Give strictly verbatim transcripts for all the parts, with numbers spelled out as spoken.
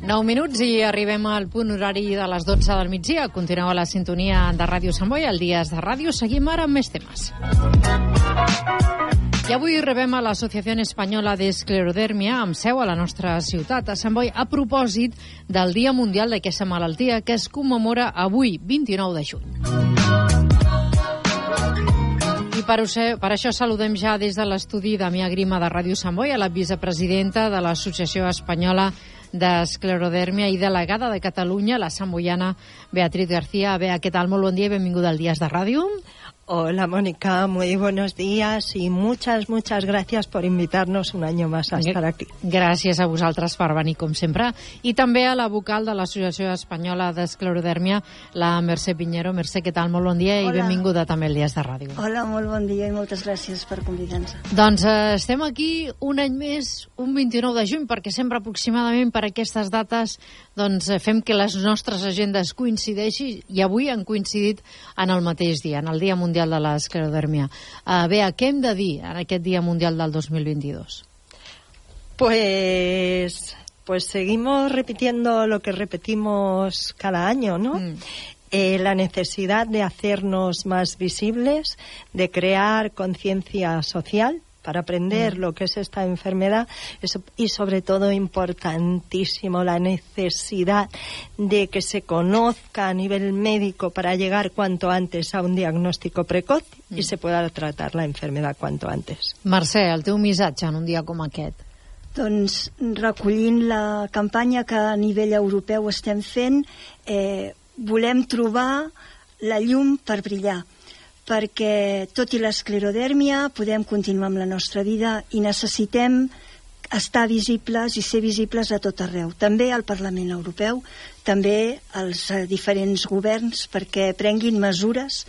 nou minuts i arribem al punt horari de les dotze del migdia. Continueu a la sintonia de Ràdio Sant Boi, al Dies de Ràdio. Seguim ara amb més temes. I avui rebem a l'Associació Espanyola d'Esclerodèrmia, amb seu a la nostra ciutat, a Sant Boi, a propòsit del Dia Mundial d'aquesta malaltia que es commemora avui, vint-i-nou de juny. I per, per això saludem ja des de l'estudi Damià Grima de Ràdio Sant Boi a la vicepresidenta de l'Associació Espanyola d'Esclerodèrmia i delegada de Catalunya, la samboiana Beatriz García. Bea, què tal? Molt bon dia i benvinguda al Dies de Ràdio. Hola, Mónica, muy buenos días y muchas, muchas gracias por invitarnos un año más a estar aquí. Gràcies a vosaltres per venir, com sempre. I també a la vocal de l'Associació Espanyola d'Esclerodèrmia, la Mercè Piñero. Mercè, què tal? Molt bon dia. Hola. I benvinguda també al Dies de Ràdio. Hola, molt bon dia i moltes gràcies per convidar-nos. Doncs eh, estem aquí un any més, un vint-i-nou de juny, perquè sempre aproximadament per aquestes dates doncs, fem que les nostres agendes coincideixin, i avui han coincidit en el mateix dia, en el Dia Mundial de l'Esclerodèrmia. Uh, Bea, què hem de dir en aquest Dia Mundial del dos mil veintidós? Pues, pues seguimos repitiendo lo que repetimos cada año, ¿no? Mm. Eh, la necesidad de hacernos más visibles, de crear conciencia social para aprender mm. lo que es esta enfermedad, eso, y sobre todo importantísimo la necesidad de que se conozca a nivel médico para llegar cuanto antes a un diagnóstico precoz mm. y se pueda tratar la enfermedad cuanto antes. Mercè, el teu missatge en un dia com aquest? Doncs recollint la campanya que a nivell europeu estem fent, eh, volem trobar la llum per brillar, perquè tot i l'esclerodèrmia podem continuar amb la nostra vida i necessitem estar visibles i ser visibles a tot arreu, també al Parlament Europeu, també als diferents governs, perquè prenguin mesures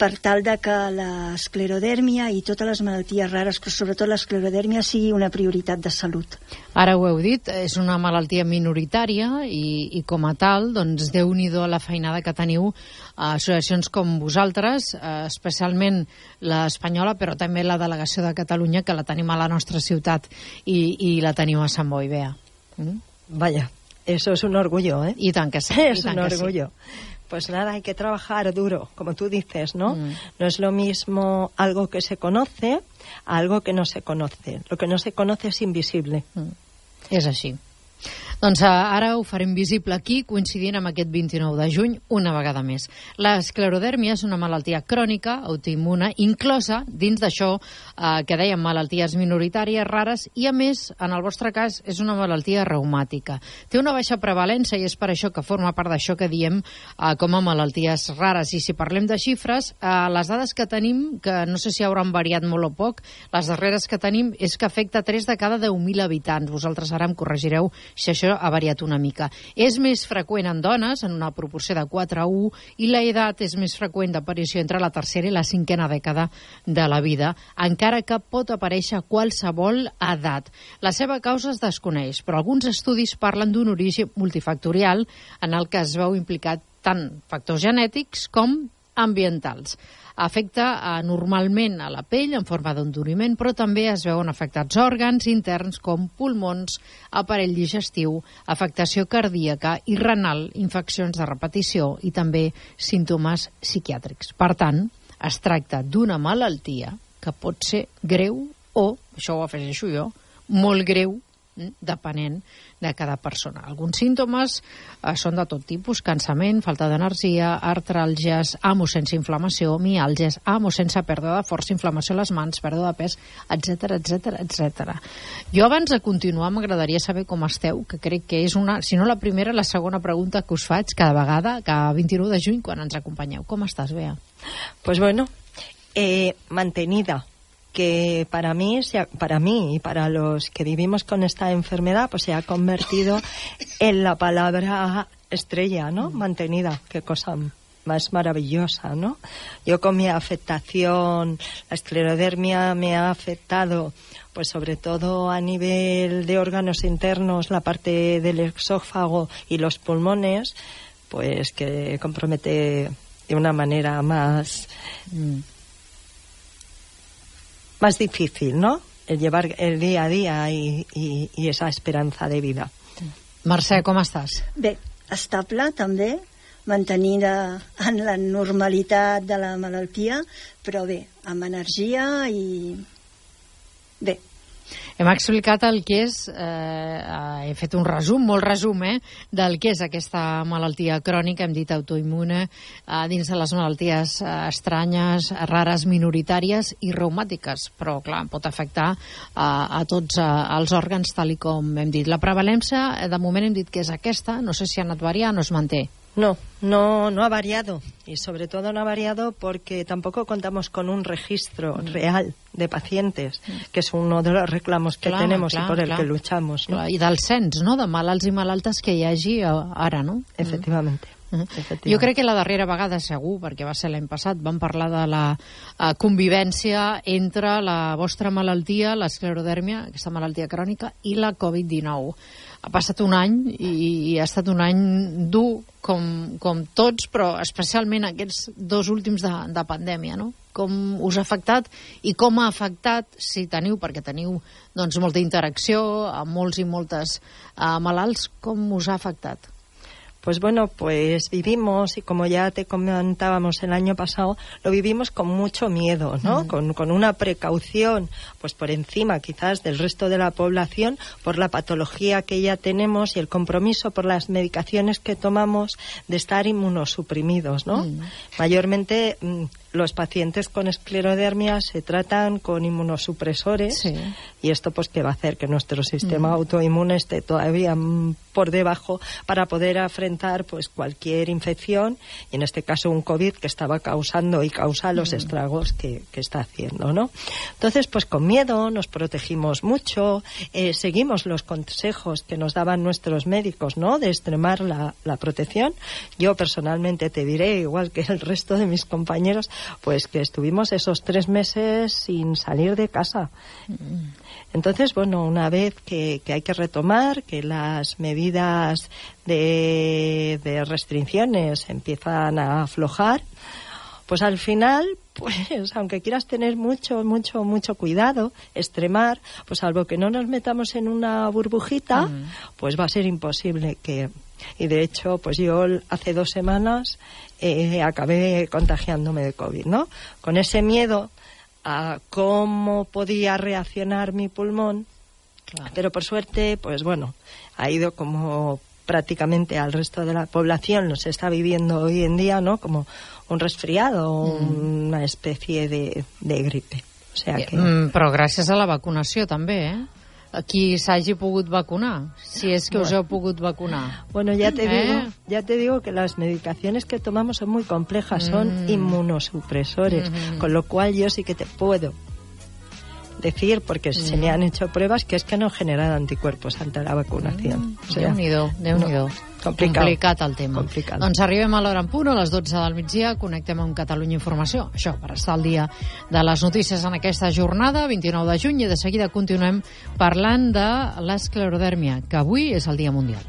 per tal de que l'esclerodèrmia i totes les malalties rares, però sobretot l'esclerodèrmia, sigui una prioritat de salut. Ara ho heu dit, és una malaltia minoritària i, i com a tal, doncs, Déu-n'hi-do la feinada que teniu a associacions com vosaltres, especialment l'espanyola, però també la delegació de Catalunya, que la tenim a la nostra ciutat i, i la teniu a Sant Boi, Bea. Mm? Vaya, eso es un orgullo, ¿eh? I tant que sí. Es un orgullo. Sí. Pues nada, hay que trabajar duro, como tú dices, ¿no? Mm. No es lo mismo algo que se conoce a algo que no se conoce. Lo que no se conoce es invisible. Mm. És així. Doncs ara ho farem visible aquí, coincidint amb aquest vint-i-nou de juny, una vegada més. L'esclerodèrmia és una malaltia crònica, autoimmune, inclosa dins d'això eh, que dèiem malalties minoritàries, rares, i a més, en el vostre cas, és una malaltia reumàtica. Té una baixa prevalència i és per això que forma part d'això que diem eh, com a malalties rares. I si parlem de xifres, eh, les dades que tenim, que no sé si hauran variat molt o poc, les darreres que tenim és que afecta tres de cada deu mil habitants. Vosaltres ara em corregireu si això ha variat una mica. És més freqüent en dones, en una proporció de quatre a u, i l'edat és més freqüent d'aparició entre la tercera i la cinquena dècada de la vida, encara que pot aparèixer a qualsevol edat. La seva causa es desconeix, però alguns estudis parlen d'un origen multifactorial en el que es veu implicat tant factors genètics com ambientals. Afecta eh, normalment a la pell en forma d'enduriment, però també es veuen afectats òrgans interns com pulmons, aparell digestiu, afectació cardíaca i renal, infeccions de repetició i també símptomes psiquiàtrics. Per tant, es tracta d'una malaltia que pot ser greu o, això ho afegeixo jo, molt greu, depenent de cada persona. Alguns símptomes eh, són de tot tipus: cansament, falta d'energia, artràlgies, amo sense inflamació, miàlgies, amo sense pèrdua de força, inflamació a les mans, pèrdua de pes, etcètera, etcètera, etcètera. Jo abans de continuar m'agradaria saber com esteu, que crec que és una, si no la primera, la segona pregunta que us faig cada vegada, cada vint-i-nou de juny, quan ens acompanyeu. Com estàs, Bea? Pues bueno, eh, mantenida. Que para mí, para mí y para los que vivimos con esta enfermedad, pues se ha convertido en la palabra estrella, ¿no? Mantenida, qué cosa más maravillosa, ¿no? Yo con mi afectación, la esclerodermia me ha afectado, pues sobre todo a nivel de órganos internos, la parte del esófago y los pulmones, pues que compromete de una manera más... Mm. más difícil, ¿no? El llevar el día a día y, y, y esa esperanza de vida. Mercè, com estàs? Bé, estable també, mantenida en la normalitat de la malaltia, però bé, amb energia i bé. Hem explicat el que és, eh, he fet un resum, molt resum, eh, del que és aquesta malaltia crònica, hem dit autoimmune, eh, dins de les malalties eh, estranyes, rares, minoritàries i reumàtiques, però clar, pot afectar eh, a tots eh, els òrgans, tal i com hem dit. La prevalència, de moment hem dit que és aquesta, no sé si ha anat variant o es manté. No, no, no ha variado, y sobre todo no ha variado porque tampoco contamos con un registro mm. real de pacientes, mm. que es uno de los reclamos que clar, tenemos clar, y por el clar. que luchamos, ¿no? I del cens, no?, de malalts i malaltes que hi hagi ara, no? Efectivamente. Mm. Jo crec que la darrera vegada, segur, perquè va ser l'any passat, vam parlar de la uh, convivència entre la vostra malaltia, l'esclerodèrmia, aquesta malaltia crònica, i la covid dinou. Ha passat un any i, i ha estat un any dur, com, com tots, però especialment aquests dos últims de, de pandèmia, no? Com us ha afectat i com ha afectat, si teniu, perquè teniu doncs, molta interacció amb molts i moltes uh, malalts, com us ha afectat? Pues bueno, pues vivimos, y como ya te comentábamos el año pasado, lo vivimos con mucho miedo, ¿no? Mm. Con, con una precaución, pues por encima quizás del resto de la población, por la patología que ya tenemos y el compromiso por las medicaciones que tomamos de estar inmunosuprimidos, ¿no? Mm. Mayormente los pacientes con esclerodermia se tratan con inmunosupresores, sí. Y esto pues que va a hacer que nuestro sistema mm. autoinmune esté todavía por debajo para poder afrontar pues cualquier infección, y en este caso un COVID que estaba causando y causa los mm. estragos que, que está haciendo, ¿no? Entonces pues con miedo nos protegimos mucho, eh, seguimos los consejos que nos daban nuestros médicos, ¿no?, de extremar la, la protección. Yo personalmente te diré, igual que el resto de mis compañeros, pues que estuvimos esos tres meses sin salir de casa. Entonces, bueno, una vez que, que hay que retomar, que las medidas de, de restricciones empiezan a aflojar, pues al final, pues aunque quieras tener mucho, mucho, mucho cuidado, extremar, pues salvo que no nos metamos en una burbujita, uh-huh. pues va a ser imposible que... Y de hecho, pues yo hace dos semanas eh, acabé contagiándome de COVID, ¿no? Con ese miedo a cómo podía reaccionar mi pulmón, claro. Pero por suerte, pues bueno, ha ido como prácticamente al resto de la población lo se está viviendo hoy en día, ¿no? Como un resfriado, mm. una especie de, de gripe. O sea que... Mm, però gràcies a la vacunació també, eh? Qui s'hagi pogut vacunar, si es que bueno. os heu pogut vacunar. Bueno, ya te, ¿Eh? digo, ya te digo que las medicaciones que tomamos son muy complejas, son mm. inmunosupresores, mm-hmm. con lo cual yo sí que te puedo decir, porque mm. se me han hecho pruebas, que es que no generan anticuerpos ante la vacunación. Mm. O sea, Déu-n'hi-do, Déu-n'hi-do. No. Complicat. Complicat el tema. Complicat. Doncs arribem a l'hora en punt, a les dotze del migdia, connectem amb Catalunya Informació. Això, per estar al dia de les notícies en aquesta jornada, vint-i-nou de juny, i de seguida continuem parlant de l'esclerodèrmia, que avui és el Dia Mundial.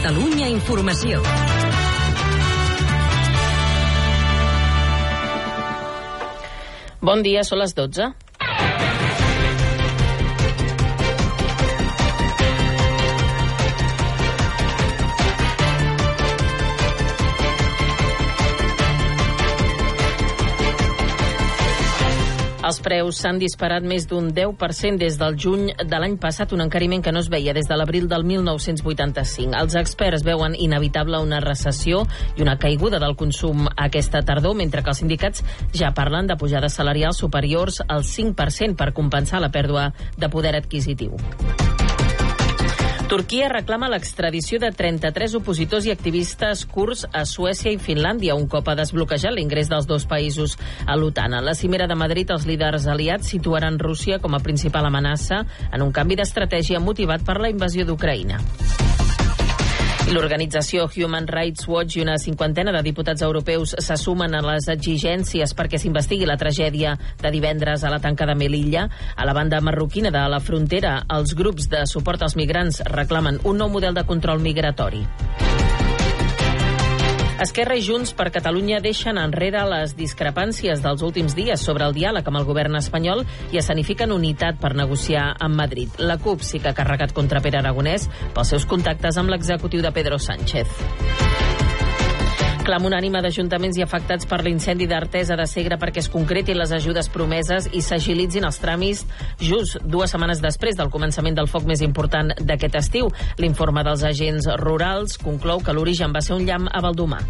Catalunya Informació. Bon dia, són les dotze. Els preus s'han disparat més d'un deu per cent des del juny de l'any passat, un encariment que no es veia des de l'abril del mil nou-cents vuitanta-cinc. Els experts veuen inevitable una recessió i una caiguda del consum aquesta tardor, mentre que els sindicats ja parlen de pujades salarials superiors al cinc per cent per compensar la pèrdua de poder adquisitiu. Turquia reclama l'extradició de trenta-tres opositors i activistes kurds a Suècia i Finlàndia, un cop ha desbloquejat l'ingrés dels dos països a l'OTAN. A la cimera de Madrid, els líders aliats situaran Rússia com a principal amenaça en un canvi d'estratègia motivat per la invasió d'Ucraïna. L'organització Human Rights Watch i una cinquantena de diputats europeus se sumen a les exigències perquè s'investigui la tragèdia de divendres a la tanca de Melilla. A la banda marroquina de la frontera, els grups de suport als migrants reclamen un nou model de control migratori. Esquerra i Junts per Catalunya deixen enrere les discrepàncies dels últims dies sobre el diàleg amb el govern espanyol i escenifiquen unitat per negociar amb Madrid. La CUP sí que ha carregat contra Pere Aragonès pels seus contactes amb l'executiu de Pedro Sánchez. Clam unànime d'ajuntaments i afectats per l'incendi d'Artesa de Segre perquè es concretin les ajudes promeses i s'agilitzin els tràmits just dues setmanes després del començament del foc més important d'aquest estiu. L'informe dels agents rurals conclou que l'origen va ser un llamp a Baldomar.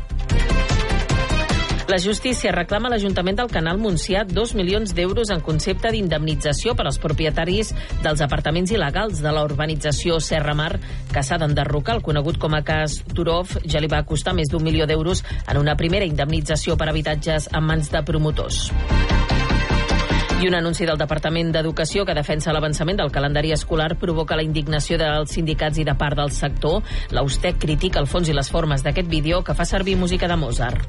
La justícia reclama a l'Ajuntament del Canal Montsià dos milions d'euros en concepte d'indemnització per als propietaris dels apartaments il·legals de la urbanització Serra Mar, que s'ha d'enderrocar. El conegut com a cas Turov ja li va costar més d'un milió d'euros en una primera indemnització per habitatges en mans de promotors. I un anunci del Departament d'Educació que defensa l'avançament del calendari escolar provoca la indignació dels sindicats i de part del sector. L'Austec critica el fons i les formes d'aquest vídeo que fa servir música de Mozart.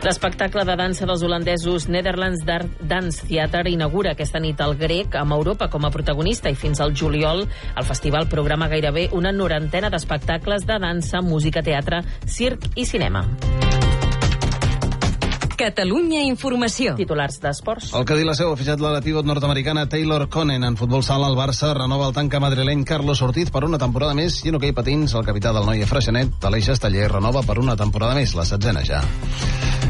L'espectacle de dansa dels holandesos Netherlands Dance Theater inaugura aquesta nit el grec amb Europa com a protagonista i fins al juliol el festival programa gairebé una norantena d'espectacles de dansa, música, teatre, circ i cinema. Catalunya Informació. Titulars d'esports. El que diu la seu ha fitxat la pivot nord-americana Taylor Conen. En futbol sala, el Barça renova el tanca madrileny Carlos Ortiz per una temporada més i en hoquei patins, el capità del Noia Freixenet, Aleix Esteller, renova per una temporada més, la setzena ja.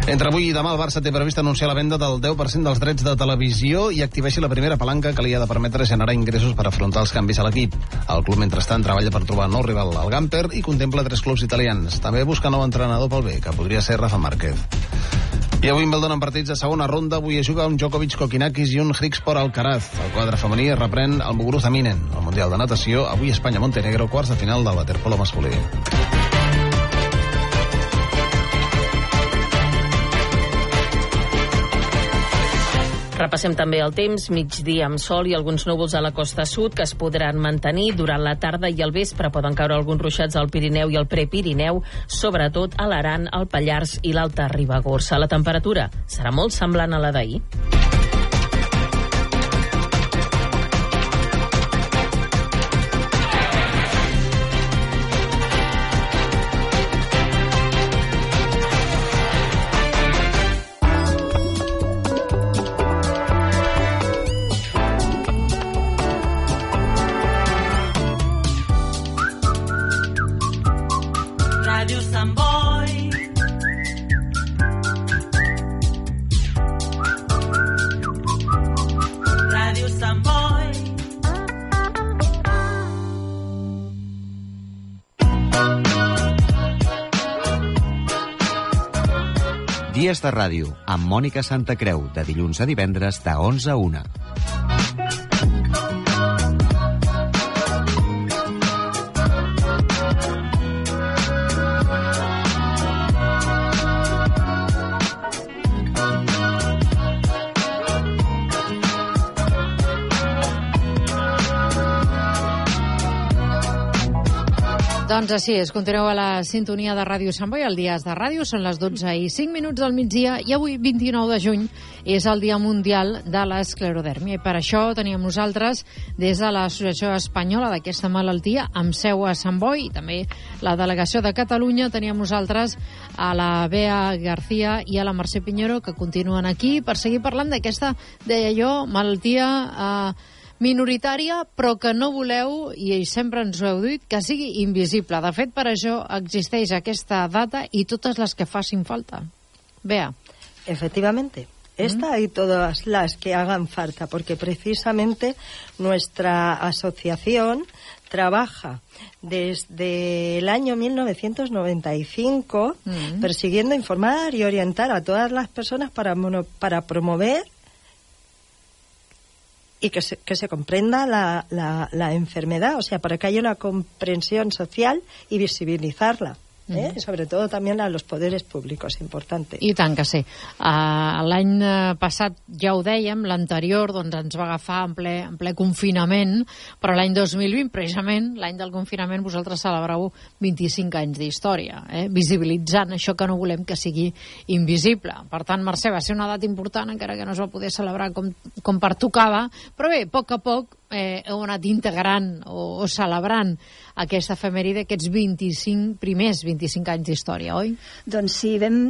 Entre avui i demà el Barça té previst anunciar la venda del deu per cent dels drets de televisió i activeixi la primera palanca que li ha de permetre generar ingressos per afrontar els canvis a l'equip. El club, mentrestant, treballa per trobar nou rival al Gamper i contempla tres clubs italians. També busca nou entrenador pel B, que podria ser Rafa Márquez. I avui Wimbledon en partits de segona ronda. Avui es juga un Djokovic Kokinakis i un Grigspor Alcaraz. El quadre femení es reprèn el Muguruza Minen. El Mundial de Natació, avui Espanya-Montenegro, quarts de final del waterpolo masculí. Repassem també el temps, migdia amb sol i alguns núvols a la costa sud que es podran mantenir durant la tarda i al vespre. Poden caure alguns ruixats al Pirineu i al Prepirineu, sobretot a l'Aran, el Pallars i l'Alta Ribagorça. La temperatura serà molt semblant a la d'ahir. Dies de ràdio, amb Mònica Santacreu, de dilluns a divendres, de onze a una. Doncs així és, continueu a la sintonia de Ràdio Sant Boi, el Dies de Ràdio, són les dotze i cinc minuts del migdia i avui, vint-i-nou de juny, és el Dia Mundial de l'Esclerodèrmia. I per això teníem nosaltres, des de l'Associació Espanyola d'aquesta malaltia, amb seu a Sant Boi, i també la delegació de Catalunya, teníem nosaltres a la Bea García i a la Mercè Piñero, que continuen aquí per seguir parlant d'aquesta, deia jo, malaltia eh, minoritària, però que no voleu, i sempre ens ho heu dit, que sigui invisible. De fet, per això existeix aquesta data y totes las que facin falta. Bea. Efectivamente. Esta y todas las que hagan falta, porque precisamente nuestra asociación trabaja desde el año mil novecientos noventa y cinco mm. persiguiendo informar y orientar a todas las personas para, mono, para promover y que se, que se comprenda la, la, la enfermedad, o sea, para que haya una comprensión social y visibilizarla. ¿eh? Mm. Sobre todo también a los poderes públicos, importante. I tant que sí. Uh, L'any passat, ja ho dèiem, l'anterior doncs, ens va agafar en ple, en ple confinament, però l'any dos mil vint, precisament, l'any del confinament, vosaltres celebreu vint-i-cinc anys d'història, eh? visibilitzant això que no volem que sigui invisible. Per tant, Mercè, va ser una data important, encara que no es va poder celebrar com, com pertocava, però bé, a poc a poc eh, heu anat integrant o, o celebrant aquesta efemèride, aquests vint-i-cinc, primers vint-i-cinc anys d'història, oi? Doncs sí, vam,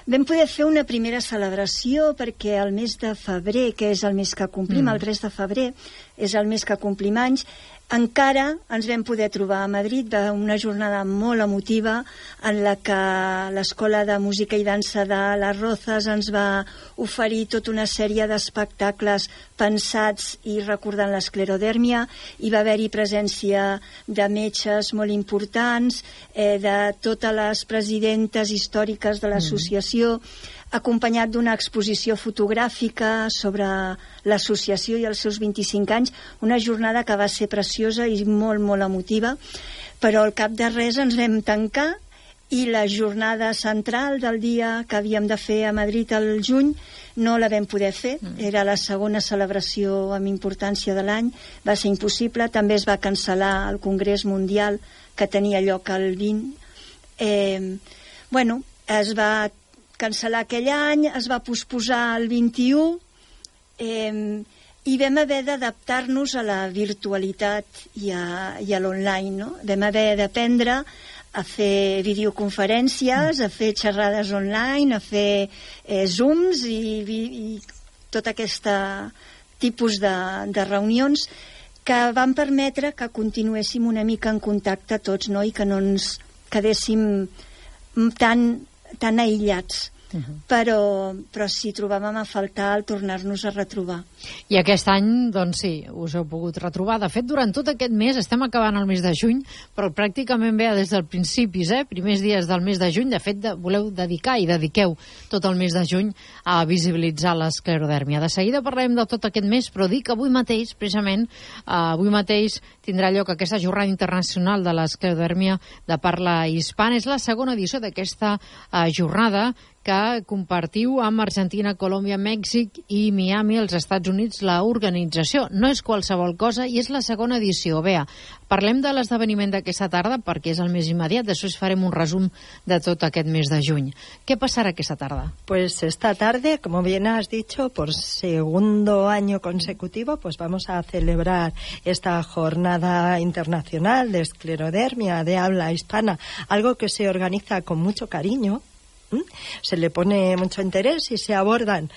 vam poder fer una primera celebració perquè el mes de febrer, que és el mes que complim, mm. el tres de febrer, és el mes que complim anys, encara ens vam poder trobar a Madrid una jornada molt emotiva en la que l'Escola de Música i Dansa de les Rozas ens va oferir tota una sèrie d'espectacles pensats i recordant l'esclerodèrmia. Hi va haver-hi presència de metges molt importants, eh, de totes les presidentes històriques de l'associació, mm. acompanyat d'una exposició fotogràfica sobre l'associació i els seus vint-i-cinc anys, una jornada que va ser preciosa i molt, molt emotiva, però al cap de res ens vam tancar i la jornada central del dia que havíem de fer a Madrid al juny no la vam poder fer, era la segona celebració amb importància de l'any, va ser impossible, també es va cancel·lar el Congrés Mundial que tenia lloc el vint. Eh, bueno, es va cancel·lar aquell any, es va posposar el vint-i-u eh, i vam haver d'adaptar-nos a la virtualitat i a, i a l'online, no? Vam haver d'aprendre a fer videoconferències, a fer xerrades online, a fer eh, Zooms i, i, i tot aquest tipus de, de reunions que van permetre que continuéssim una mica en contacte tots, no? I que no ens quedéssim tan tan aïllats, uh-huh. però, però sí, trobàvem a faltar el tornar-nos a retrobar. I aquest any, doncs sí, us heu pogut retrobar. De fet, durant tot aquest mes, estem acabant el mes de juny, però pràcticament ve des del principis, eh? primers dies del mes de juny. De fet, de, voleu dedicar i dediqueu tot el mes de juny a visibilitzar l'esclerodèrmia. De seguida parlarem de tot aquest mes, però dic que avui mateix, precisament, eh, avui mateix tindrà lloc aquesta jornada internacional de l'esclerodèrmia de parla hispana. És la segona edició d'aquesta eh, jornada que compartiu amb Argentina, Colòmbia, Mèxic i Miami, als Estats Units, la organització. No és qualsevol cosa i és la segona edició. Bea, parlem de l'esdeveniment d'aquesta tarda perquè és el més immediat, després farem un resum de tot aquest mes de juny. Què passarà aquesta tarda? Pues esta tarde, como bien has dicho, por segundo año consecutivo, pues vamos a celebrar esta jornada internacional de esclerodermia de habla hispana, algo que se organiza con mucho cariño. ¿Mm? Se le pone mucho interés y se abordan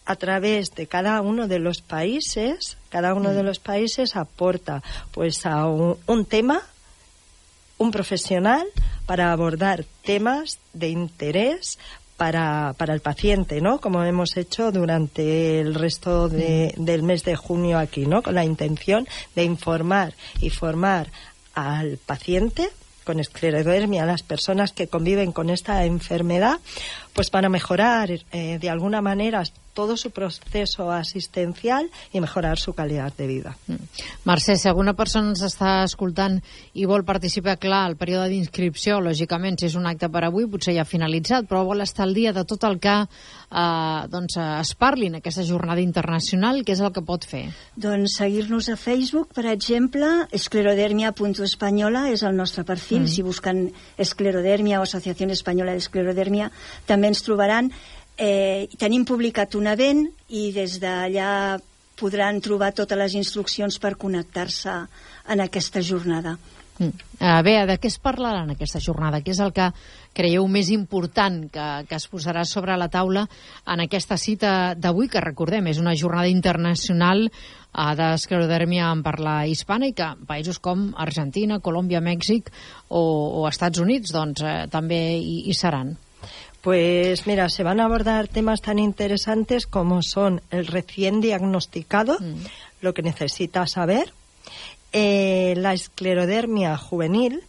a través de cada uno de los países. Cada uno mm. de los países aporta pues a un, un tema, un profesional para abordar temas de interés para, para el paciente, ¿no? Como hemos hecho durante el resto de, del mes de junio aquí, ¿no? Con la intención de informar y formar al paciente con esclerodermia, las personas que conviven con esta enfermedad, pues para mejorar eh, de alguna manera todo su proceso asistencial i mejorar su qualitat de vida. Mm. Mercè, si alguna persona ens està escoltant i vol participar, clar, el període d'inscripció, lògicament, si és un acte per avui, potser ja ha finalitzat, però vol estar al dia de tot el que eh, doncs, es parli en aquesta jornada internacional, què és el que pot fer? Doncs seguir-nos a Facebook, per exemple, esclerodermia punt espanyola és el nostre perfil, mm. si busquen esclerodermia o Associació Espanyola d'Esclerodermia, també ens trobaran. Eh, tenim publicat un event i des d'allà podran trobar totes les instruccions per connectar-se en aquesta jornada. Mm. Uh, bé, de què es parlarà en aquesta jornada? Què és el que creieu més important que, que es posarà sobre la taula en aquesta cita d'avui, que recordem, és una jornada internacional uh, d'esclerodèrmia en parla hispana i que països com Argentina, Colòmbia, Mèxic o, o Estats Units doncs, eh, també hi, hi seran? Pues mira, se van a abordar temas tan interesantes como son el recién diagnosticado, mm. lo que necesita saber, eh, la esclerodermia juvenil,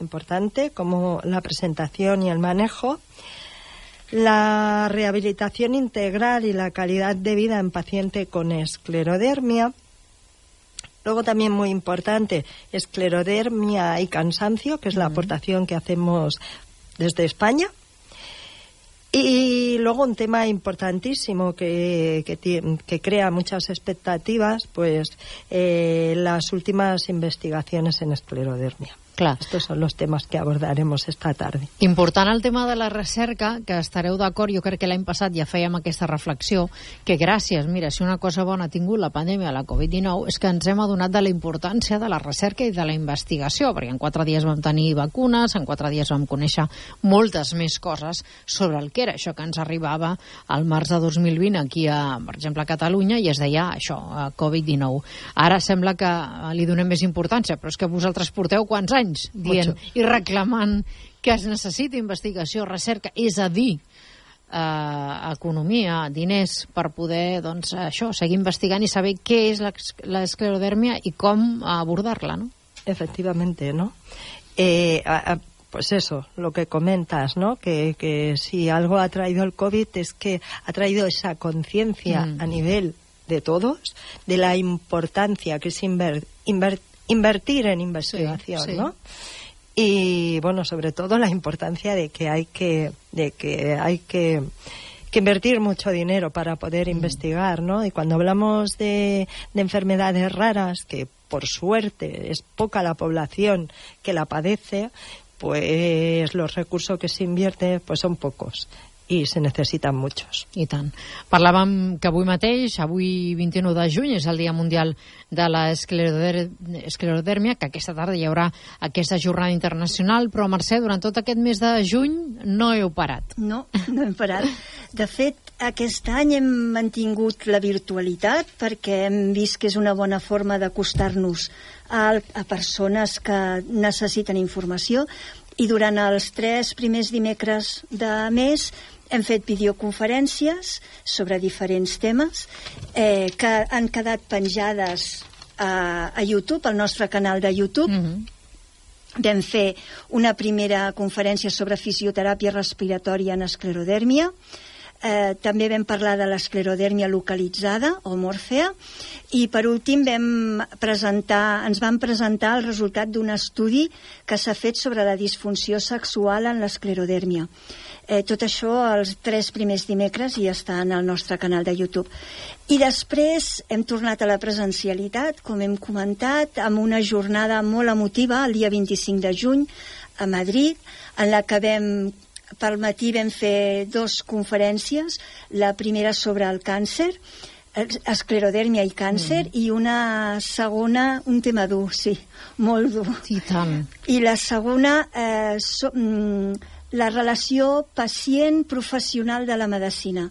importante, como la presentación y el manejo, la rehabilitación integral y la calidad de vida en paciente con esclerodermia, Luego también muy importante, esclerodermia y cansancio, que es la aportación que hacemos desde España. Y luego un tema importantísimo que, que, que crea muchas expectativas, pues eh, las últimas investigaciones en esclerodermia. Clar. Estos són els temes que abordaremos esta tarda. Important el tema de la recerca, que estareu d'acord, jo crec que l'any passat ja fèiem aquesta reflexió, que gràcies, mira, si una cosa bona ha tingut la pandèmia, la covid dinou, és que ens hem adonat de la importància de la recerca i de la investigació, perquè en quatre dies vam tenir vacunes, en quatre dies vam conèixer moltes més coses sobre el que era això que ens arribava al març de dos mil vint aquí, a, per exemple, a Catalunya, i es deia això, covid dinou. Ara sembla que li donem més importància, però és que vosaltres porteu quants anys dient Mucho. I reclamant que es necessita investigació, recerca, és a dir, eh, economia, diners, per poder, doncs, això, seguir investigant i saber què és l'esclerodèrmia i com abordar-la, ¿no? Efectivamente, ¿no? Eh, a, a, pues eso, lo que comentas, ¿no? Que, que si algo ha traído el COVID es que ha traído esa conciencia mm. a nivel de todos de la importancia que es inver, inver, invertir en investigación, sí, sí. ¿no? Y bueno, sobre todo la importancia de que hay que de que hay que, que invertir mucho dinero para poder mm. investigar, ¿no? Y cuando hablamos de, de enfermedades raras, que por suerte es poca la población que la padece, pues los recursos que se invierten pues son pocos. I se necessiten muchos. I tant. Parlàvem que avui mateix, avui vint-i-nou de juny, és el Dia Mundial de l'Esclerodèrmia, que aquesta tarda hi haurà aquesta jornada internacional, però Mercè, durant tot aquest mes de juny no heu parat. No, no hem parat. De fet, aquest any hem mantingut la virtualitat perquè hem vist que és una bona forma d'acostar-nos a, a persones que necessiten informació, i durant els tres primers dimecres de mes hem fet videoconferències sobre diferents temes eh, que han quedat penjades a, a YouTube, al nostre canal de YouTube. Mm-hmm. Vam fer una primera conferència sobre fisioteràpia respiratòria en esclerodèrmia. Eh, també vam parlar de l'esclerodèrmia localitzada o mòrfea, i per últim vam presentar, ens van presentar el resultat d'un estudi que s'ha fet sobre la disfunció sexual en l'esclerodèrmia. Eh, tot això els tres primers dimecres i està en el nostre canal de YouTube. I després hem tornat a la presencialitat, com hem comentat, amb una jornada molt emotiva el dia vint-i-cinc de juny a Madrid, en la que vam pel matí vam fer dues conferències, la primera sobre el càncer, esclerodèrmia i càncer, mm. i una segona, un tema dur, sí, molt dur. I tant. I la segona, eh, so, mm, la relació pacient-professional de la medicina.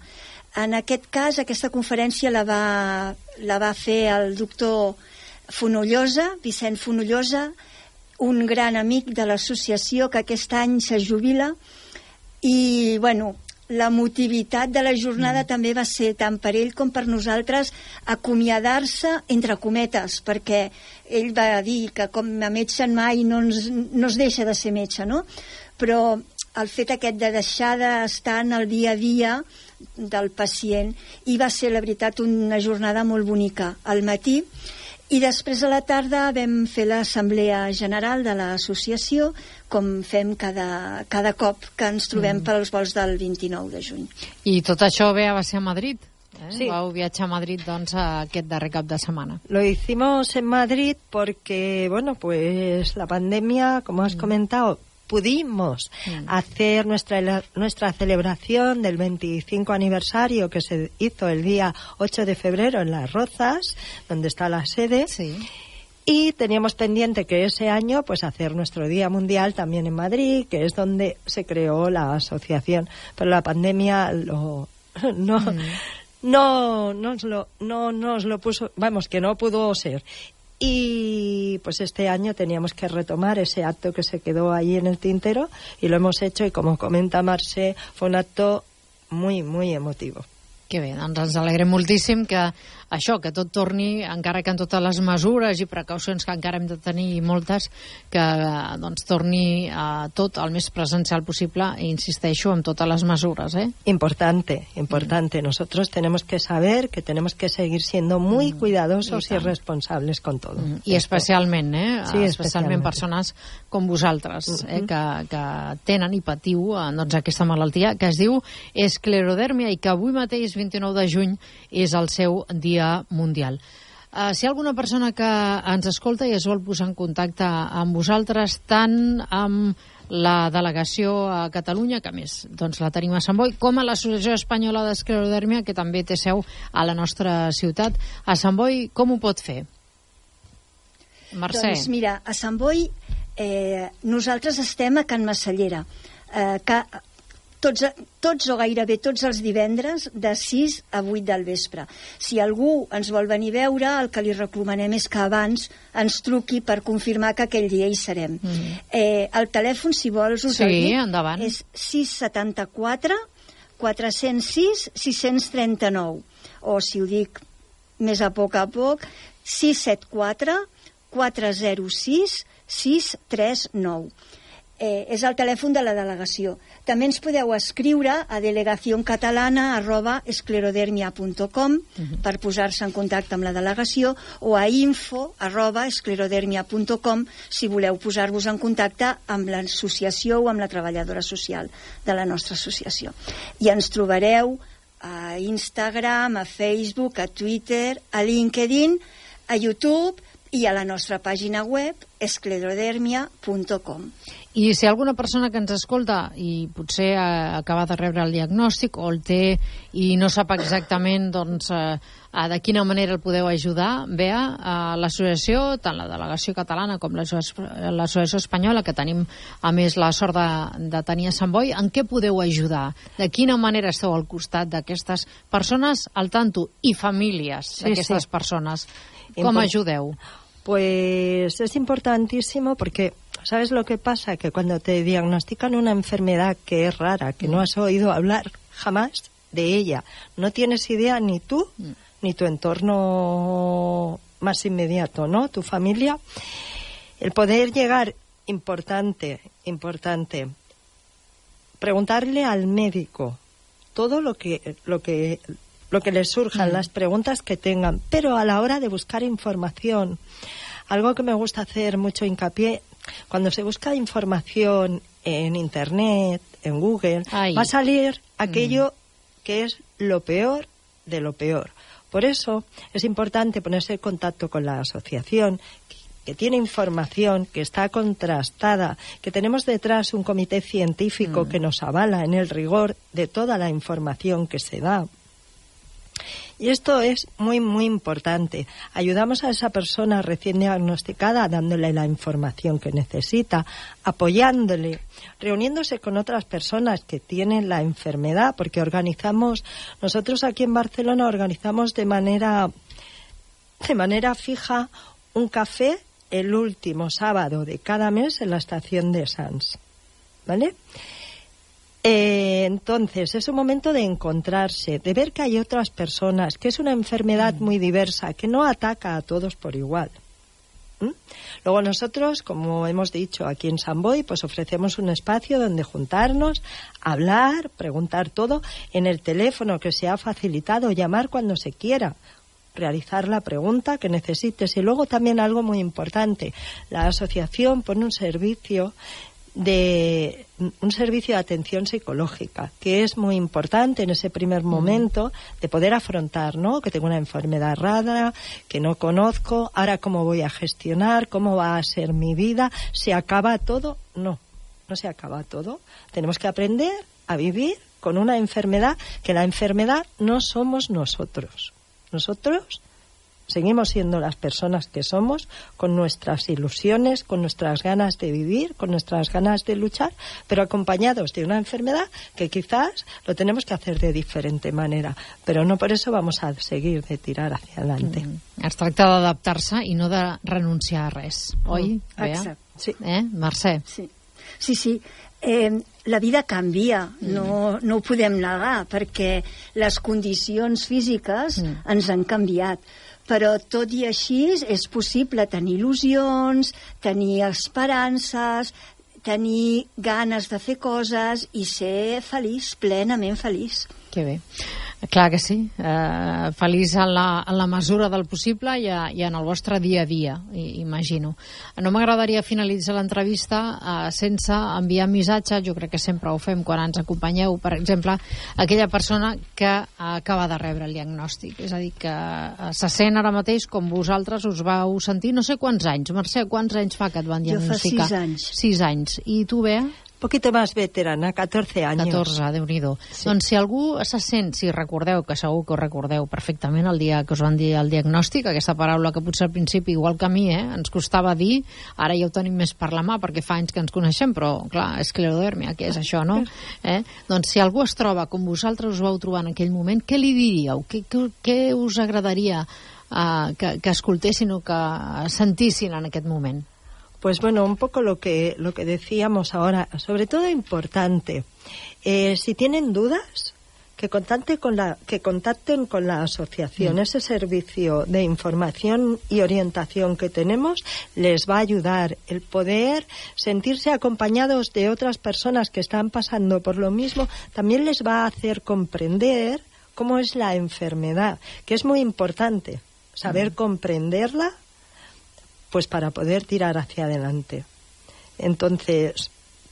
En aquest cas, aquesta conferència la va, la va fer el doctor Fonollosa, Vicent Fonollosa, un gran amic de l'associació que aquest any se jubila. I, bueno, l'emotivitat de la jornada mm. també va ser tant per ell com per nosaltres acomiadar-se, entre cometes, perquè ell va dir que com a metge mai no, ens, no es deixa de ser metge, no? Però el fet aquest de deixar d'estar en el dia a dia del pacient, i va ser, la veritat, una jornada molt bonica al matí. I després a la tarda vam fer l'assemblea general de l'associació, com fem cada, cada cop que ens trobem mm. pels vols del vint-i-nou de juny. I tot això bé va ser a Madrid? ¿Eh? Sí. Vau viatjar a Madrid, doncs, aquest darrer cap de semana. Lo hicimos en Madrid porque, bueno, pues la pandemia, como has mm. comentado, pudimos mm. hacer nuestra nuestra celebración del veinticinco aniversario que se hizo el día ocho de febrero en Las Rozas, donde está la sede. Sí. Y teníamos pendiente que ese año pues hacer nuestro Día Mundial también en Madrid, que es donde se creó la asociación. Pero la pandemia lo no mm. no nos lo no nos lo puso, vamos, que no pudo ser. Y pues este año teníamos que retomar ese acto que se quedó ahí en el tintero, y lo hemos hecho, y como comenta Marce, fue un acto muy, muy emotivo. Que bé, doncs ens alegrem moltíssim que això, que tot torni, encara que en totes les mesures i precaucions que encara hem de tenir moltes, que doncs torni a tot el més presencial possible, e insisteixo, amb totes les mesures, ¿eh? Importante, importante. Mm. Nosotros tenemos que saber que tenemos que seguir siendo muy mm. cuidadosos y, y responsables con todo. Mm. I especialment, eh? Sí, especialment persones com vosaltres, mm-hmm. eh? que, que tenen i patiu doncs, aquesta malaltia que es diu esclerodèrmia i que avui mateix, vint-i-nou de juny, és el seu dia mundial. Uh, si hi ha alguna persona que ens escolta i es vol posar en contacte amb vosaltres, tant amb la delegació a Catalunya, que a més doncs, la tenim a Sant Boi, com a l'Associació Espanyola d'Esclerodèrmia, que també té seu a la nostra ciutat, a Sant Boi, com ho pot fer? Mercè. Doncs mira, a Sant Boi eh, nosaltres estem a Can Massallera, eh, que Tots, tots o gairebé tots els divendres de sis a vuit del vespre. Si algú ens vol venir a veure, el que li recomanem és que abans ens truqui per confirmar que aquell dia hi serem. Mm. Eh, el telèfon, si vols, us sí, el dic, endavant. és sis setanta quatre quatre zero sis sis tres nou, o si ho dic més a poc a poc, sis set quatre quatre zero sis sis tres nou. Eh, és el telèfon de la delegació. També ens podeu escriure a delegacioncatalana arroba esclerodermia punt com uh-huh. per posar-se en contacte amb la delegació, o a info arroba esclerodermia punt com si voleu posar-vos en contacte amb l'associació o amb la treballadora social de la nostra associació. I ens trobareu a Instagram, a Facebook, a Twitter, a LinkedIn, a YouTube i a la nostra pàgina web esclerodermia punt com. I si hi ha alguna persona que ens escolta i potser ha acabat de rebre el diagnòstic o el té i no sap exactament doncs, eh, de quina manera el podeu ajudar, Bea, a l'associació, tant la delegació catalana com l'associació espanyola, que tenim a més la sort de, de tenir a Sant Boi, en què podeu ajudar? De quina manera esteu al costat d'aquestes persones al tanto i famílies sí, d'aquestes sí. persones? Com Impor- ayudeu? Pues es importantísimo porque, ¿sabes lo que pasa? Que cuando te diagnostican una enfermedad que es rara, que no has oído hablar jamás de ella, no tienes idea ni tú, mm. ni tu entorno más inmediato, ¿no? Tu familia. El poder llegar, importante, importante, preguntarle al médico todo lo que, lo que, lo que les surjan, mm. las preguntas que tengan, pero a la hora de buscar información, algo que me gusta hacer mucho hincapié, cuando se busca información en Internet, en Google, Ay. va a salir aquello mm. que es lo peor de lo peor. Por eso es importante ponerse en contacto con la asociación, que tiene información, que está contrastada, que tenemos detrás un comité científico mm. que nos avala en el rigor de toda la información que se da. Y esto es muy, muy importante. Ayudamos a esa persona recién diagnosticada dándole la información que necesita, apoyándole, reuniéndose con otras personas que tienen la enfermedad, porque organizamos, nosotros aquí en Barcelona organizamos de manera, de manera fija un café el último sábado de cada mes en la estación de Sants, ¿vale? Eh, entonces, es un momento de encontrarse, de ver que hay otras personas, que es una enfermedad mm. muy diversa, que no ataca a todos por igual. ¿Mm? Luego nosotros, como hemos dicho aquí en Sant Boi, pues ofrecemos un espacio donde juntarnos, hablar, preguntar todo, en el teléfono que se ha facilitado, llamar cuando se quiera, realizar la pregunta que necesites. Y luego también algo muy importante, la asociación pone un servicio de un servicio de atención psicológica, que es muy importante en ese primer momento de poder afrontar, ¿no? Que tengo una enfermedad rara, que no conozco, ahora cómo voy a gestionar, cómo va a ser mi vida, ¿se acaba todo? No, no se acaba todo. Tenemos que aprender a vivir con una enfermedad, que la enfermedad no somos nosotros. Nosotros seguimos siendo las personas que somos, con nuestras ilusiones, con nuestras ganas de vivir, con nuestras ganas de luchar, pero acompañados de una enfermedad que quizás lo tenemos que hacer de diferente manera, pero no por eso vamos a seguir de tirar hacia adelante. Mm. Es tracta d'adaptar-se i no de renunciar a res, oi? Mm. Exacte. Sí. Eh, Mercè? Sí, sí. sí. Eh, la vida canvia, mm. no, no ho podem negar, perquè les condicions físiques mm. ens han canviat. Però tot i així és possible tenir il·lusions, tenir esperances, tenir ganes de fer coses i ser feliç, plenament feliç. Que bé. Clar que sí. Eh, feliç en la, en la mesura del possible i, a, i en el vostre dia a dia, imagino. No m'agradaria finalitzar l'entrevista eh, sense enviar missatge, jo crec que sempre ho fem quan ens acompanyeu, per exemple, aquella persona que acaba de rebre el diagnòstic. És a dir, que eh, se sent ara mateix com vosaltres us vau sentir, no sé quants anys. Mercè, quants anys fa que et van diagnosticar? Jo fa sis anys. Sis anys. I tu, Bea? Poquito más veterana, catorce años. catorze, Déu-n'hi-do. Sí. Doncs si algú se sent, si recordeu, que segur que ho recordeu perfectament el dia que us van dir el diagnòstic, aquesta paraula que potser al principi, igual que a mi, eh, ens costava dir, ara ja ho tenim més per la mà perquè fa anys que ens coneixem, però clar, esclerodèrmia, què és això, no? Eh? Doncs si algú es troba com vosaltres us vau trobar en aquell moment, què li diríeu? Què, què, què us agradaria uh, que, que escoltessin o que sentissin en aquest moment? Pues bueno, un poco lo que lo que decíamos ahora, sobre todo importante, eh, si tienen dudas, que contacten con la que contacten con la asociación. Mm. Ese servicio de información y orientación que tenemos les va a ayudar el poder sentirse acompañados de otras personas que están pasando por lo mismo, también les va a hacer comprender cómo es la enfermedad, que es muy importante saber mm. comprenderla, pues para poder tirar hacia adelante. Entonces,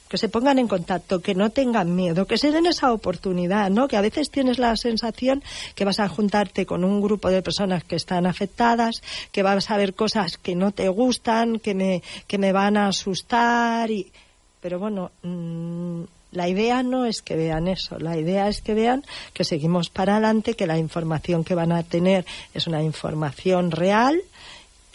que se pongan en contacto, que no tengan miedo, que se den esa oportunidad, ¿no? Que a veces tienes la sensación que vas a juntarte con un grupo de personas que están afectadas, que vas a ver cosas que no te gustan, que me, que me van a asustar, y... pero bueno, mmm, la idea no es que vean eso, la idea es que vean que seguimos para adelante, que la información que van a tener es una información real,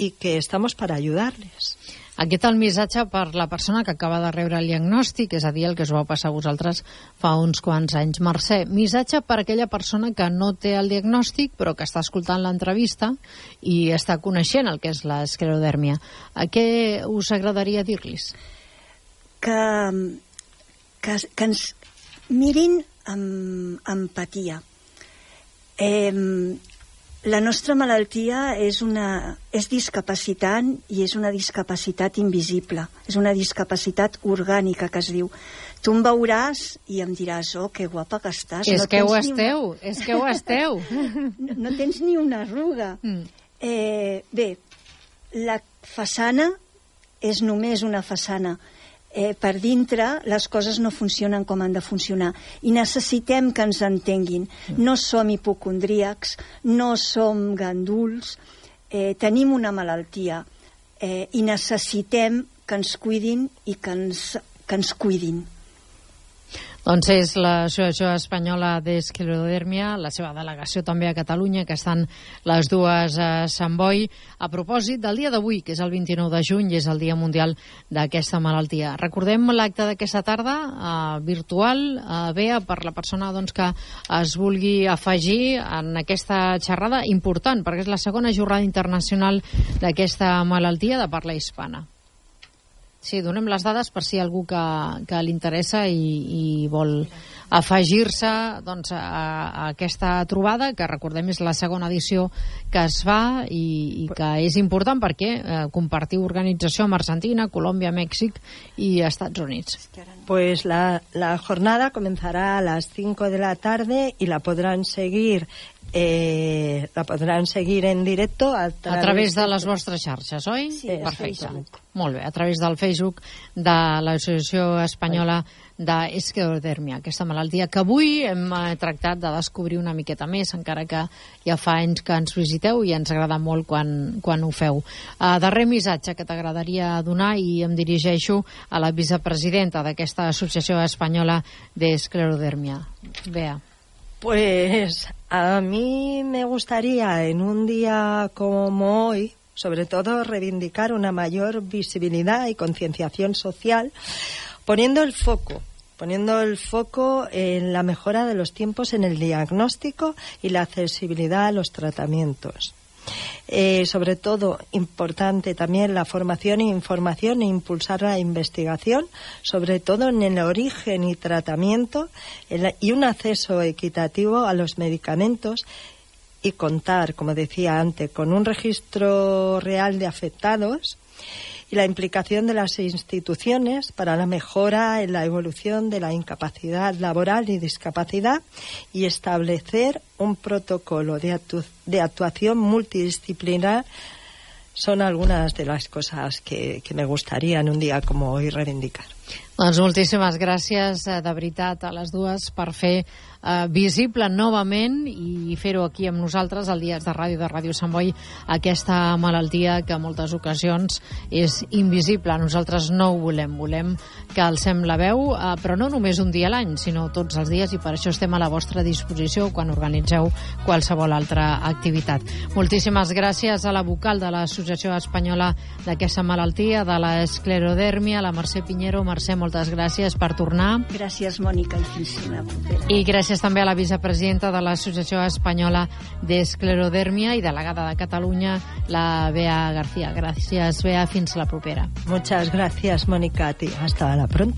i que estamos para ayudarles. Aquest el missatge per la persona que acaba de rebre el diagnòstic, és a dir, el que us va passar a vosaltres fa uns quants anys. Mercè, missatge per aquella persona que no té el diagnòstic però que està escoltant l'entrevista i està coneixent el que és l'esclerodèrmia. A què us agradaria dir-los? Que, que, que ens mirin amb empatia. Eh, La nostra malaltia és, una, és discapacitant i és una discapacitat invisible. És una discapacitat orgànica, que es diu. Tu em veuràs i em diràs, oh, que guapa que estàs. És no que ho esteu, una... és que ho esteu. No, no tens ni una arruga. Mm. Eh, bé, la façana és només una façana. Eh, per dintre les coses no funcionen com han de funcionar i necessitem que ens entenguin. No som hipocondríacs, no som ganduls, eh, tenim una malaltia eh, i necessitem que ens cuidin i que ens, que ens cuidin. Doncs és l'Associació Espanyola d'Esclerodèrmia, la seva delegació també a Catalunya, que estan les dues a Sant Boi, a propòsit del dia d'avui, que és el vint-i-nou de juny, i és el Dia Mundial d'aquesta malaltia. Recordem l'acte d'aquesta tarda, eh, virtual, eh, Bea, per la persona doncs, que es vulgui afegir en aquesta xerrada important, perquè és la segona jornada internacional d'aquesta malaltia de parla hispana. Sí, donem les dades per si hi ha algú que, que li interessa i, i vol afegir-se doncs, a, a aquesta trobada, que recordem és la segona edició que es fa i, i que és important perquè eh, compartiu organització amb Argentina, Colòmbia, Mèxic i Estats Units. Pues la, la jornada comenzará a las cinco de la tarde y la podrán seguir Eh, la podran seguir en directo a través, a través de les vostres xarxes, oi? Sí, perfecte. Molt bé, a través del Facebook de l'Associació Espanyola d'Esclerodèrmia, aquesta malaltia que avui hem tractat de descobrir una miqueta més, encara que ja fa anys que ens visiteu i ens agrada molt quan, quan ho feu. Uh, darrer missatge que t'agradaria donar, i em dirigeixo a la vicepresidenta d'aquesta Associació Espanyola d'Esclerodèrmia. Bea. Pues a mí me gustaría en un día como hoy, sobre todo, reivindicar una mayor visibilidad y concienciación social, poniendo el foco, poniendo el foco en la mejora de los tiempos en el diagnóstico y la accesibilidad a los tratamientos. Eh, sobre todo, importante también la formación e información e impulsar la investigación, sobre todo en el origen y tratamiento el, y un acceso equitativo a los medicamentos, y contar, como decía antes, con un registro real de afectados y la implicación de las instituciones para la mejora en la evolución de la incapacidad laboral y discapacidad, y establecer un protocolo de, actu- de actuación multidisciplinar. Son algunas de las cosas que, que me gustaría en un día como hoy reivindicar. Doncs moltíssimes gràcies, de veritat, a les dues per fer eh, visible novament i fer-ho aquí amb nosaltres al Dies de Ràdio de Ràdio Sant Boi, aquesta malaltia que en moltes ocasions és invisible. Nosaltres no ho volem, volem que alcem la veu, eh, però no només un dia a l'any, sinó tots els dies, i per això estem a la vostra disposició quan organitzeu qualsevol altra activitat. Moltíssimes gràcies a la vocal de l'Associació Espanyola d'aquesta malaltia, de l'esclerodèrmia, la Mercè Piñero. Mercè, moltes gràcies per tornar. Gràcies, Mònica, i fins la propera. I gràcies també a la vicepresidenta de l'Associació Espanyola d'Esclerodèrmia i delegada de Catalunya, la Bea García. Gràcies, Bea, fins la propera. Muchas gracias, Mónica, a ti. Hasta la pronto.